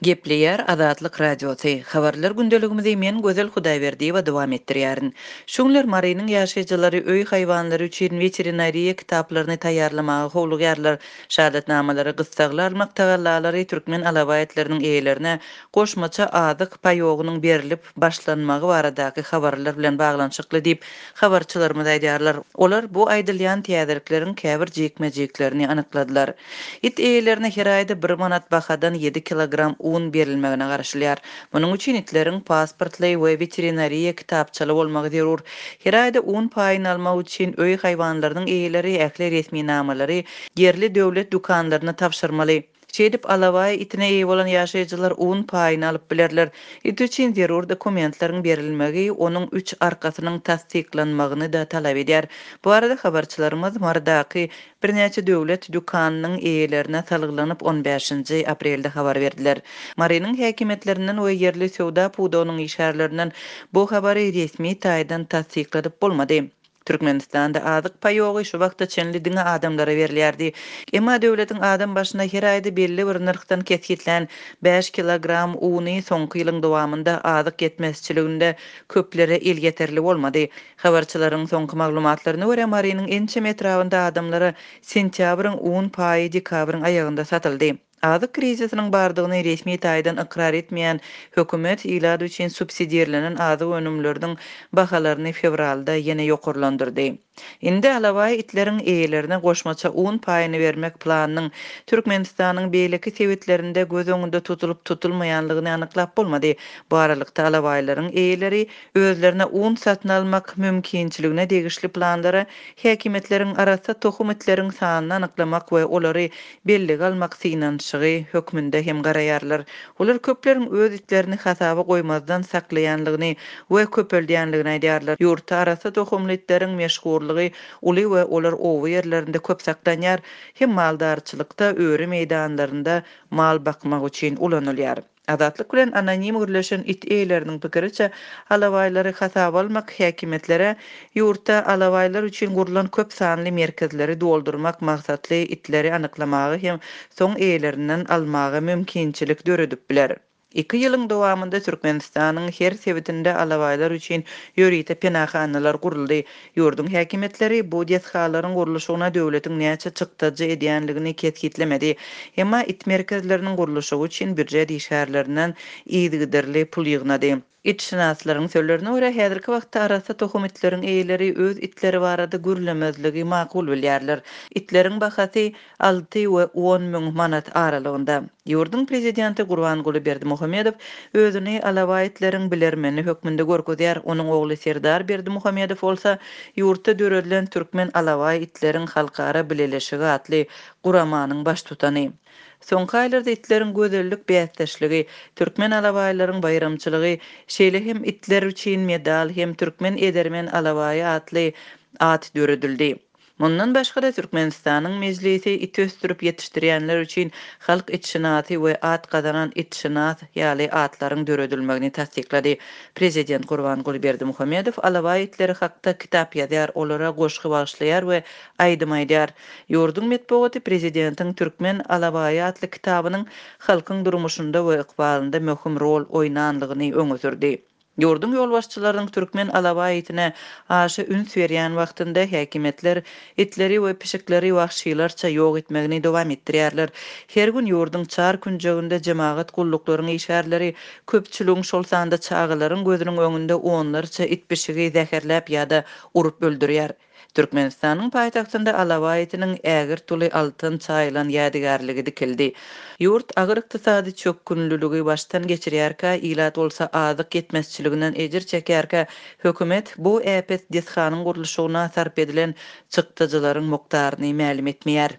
Gepleýär Azatlyk Radiosy, Habarlar gündeligimizi men Gözel Hudaýberdiýewa dowam etdirýärin. Şu günler Marynyň ýaşaýjylary öý haýwanlary üçin weterinariýa kitaplaryny taýýarlamaga howlugýarlar. Şahadatnamalary gyssagly almak tagallalary türkmen alabaý itleriniň eýelerine goşmaça azyk paýogynyň berlip başlanmagy baradaky habarlar bilen baglanyşykly diýip, habarçylarymyz aýdýarlar. Olar bu aýdylýan täzelikleriň käbir jikme-jiklerini anykladylar. It eýelerine her aýda bir manat bahadan ýedi kilogram un berilmegine garaşylýar. Munuň üçin itleriň pasportly we weterinariýa kitapçaly bolmagy zerur. Her aýda un paýyny almak üçin öý haýwanlarynyň eýeleri ähli resminamalary ýerli döwlet dükanlaryna tabşyrmaly. Şeýdip, alabaý itine eýe bolan ýaşaýjylar un paýyny alyp bilerler. It üçin zerur dokumentleriň berilmegi onuň üç arkasynyň tassyklanmagyny-da talap edýär. Bu barada habarçylarymyz Marydaky Birnäçe döwlet dükanynyň eýelerine salgylanyp on bäşinji aprelde habar berdiler. Marynyň häkimiýetlerinden we ýerli söwda pudagynyň işgärlerinden bu habary resmi taýdan tassykladyp bolmady. Türkmenistanda azyk paýogy şu wagta çenli diňe adamlara berilýärdi. Emma döwletiň adam başyna her aýda belli bir nyrhdan kesgitlän bäş kilogram uny soňky ýylyň dowamynda azyk ýetmezçiliginde köplere elýeterli bolmady. Habarçylaryň soňky maglumatlaryna görä, Marynyň ençeme etrabynda adamlara sentýabryň un paýy dekabryň aýagynda satyldy. Azyk krizisiniň bardygyny resmi taýdan ykrar etmeýän hökümet ilat üçin subsidirlenen azyk önümleriniň bahalaryny fewralda ýene ýokarlandyrdy. Indi alabaý itleriň eýelerine goşmaça un paýyny bermek planynyň Türkmenistanyň beýleki sebitlerinde göz öňünde tutulyp-tutulmaýanlygyny anyklap bolmady. Bu aralykda alabaýlaryň eýeleri Özlerine un satyn almak mümkinçiligine degişli planlara häkimiýetleriň arassa tohum itleriň sanyny anyklamak we olary bellige almak synanyşygy hökmünde hem garaýarlar. Olar köpleriň öz itlerini hasaba goýmazdan saklaýanlygyny we köpeldýänligini aýdýarlar. Ýurtda arassa tohumly itleriň meşhurlygy uly we olar oba ýerlerinde köp saklanýar, hem maldarçylykda, öri meýdanlarynda mal bakmak üçin ulanylýar. Azatlyk bilen anonim gürleşen it eýeleriniň pikiriçe, alabaýlary hasaba almak häkimiýetlere ýurtda alabaýlar üçin gurlan köp sanly merkezleri doldurmak maksatly itleri anyklamaga hem soň eýelerinden almaga mümkinçilik döredip biler. Iki ýylyň dowamynda Türkmenistanyň her sebitinde alabaýlar üçin ýörite penahanalar guruldy. Ýurduň häkimiýetleri bu desgalaryň gurluşygyna döwletiň näçe çykdajy edýänligini kesgitlemedi. Emma it merkezleriniň gurluşygy üçin býujet işgärlerinden yzygiderli pul ýygnady. Itşynaslaryň sözlerine görä, häzirki wagtda arassa tohum itleriň eýeleri öz itleri barada gürlemezligi makul bilýärler. Itleriň bahasy alty we on müň manat aralygynda. Ýurduň prezidenti Gurbanguly Berdimuhamedow özüni alabaý itleriň bilermeni hökmünde görkezýär. Onuň ogly Serdar Berdimuhamedow bolsa ýurtda döredilen Türkmen alabaý itleriň halkara bileleşigi atly guramanyň baştutany. Soňky aýlarda itleriň gözellik bäsdeşligi, türkmen alabaýlaryň baýramçylygy, şeýle hem itler üçin medal hem Türkmen edermen alabaýy atly at döredildi. Mundan başga-da, Türkmenistanyň Mejlisi it ösdürip ýetişdirýänler üçin Halk itşynasy we At gazanan itşynas ýaly atlaryň döredilmegini tassyklady. Prezident Gurbanguly Berdimuhamedow alabaý itleri hakda kitap ýazýar, olara goşgy bagyşlaýar we aýdym aýdýar. Ýurduň metbugaty prezidentiň Türkmen alabaýy atly kitabynyň halkyň durmuşynda we ykbalynda möhüm rol oýnanlygyny öňe sürdi. Ýurduň ýolbaşçylarynyň türkmen alabaý itine aşa üns berýän wagtynda häkimiýetler itleri we pişikleri wagşylarça ýok etmegini dowam etdirýärler. Her gün ýurduň çar künjeginde jemagat gulluklaryň işgärleri köpçüligiň, şol sanda çagalaryň gözüniň öňünde onlarça it-pişigi zäherläp ýa-da urup öldürýär. Türkmenistanyň paýtagtynda alabaý itiniň ägirt uly altyn çaýylan ýadygärligi dikildi. Ýurt agyr ykdysady çökgünliligi başdan geçirýärkä, ilat bolsa azyk ýetmezçiliginden ejir çekýärkä, hökümet bu äpet desganyň gurluşygyna sarp edilen çykdajylaryň mukdaryny mälim etmeýär.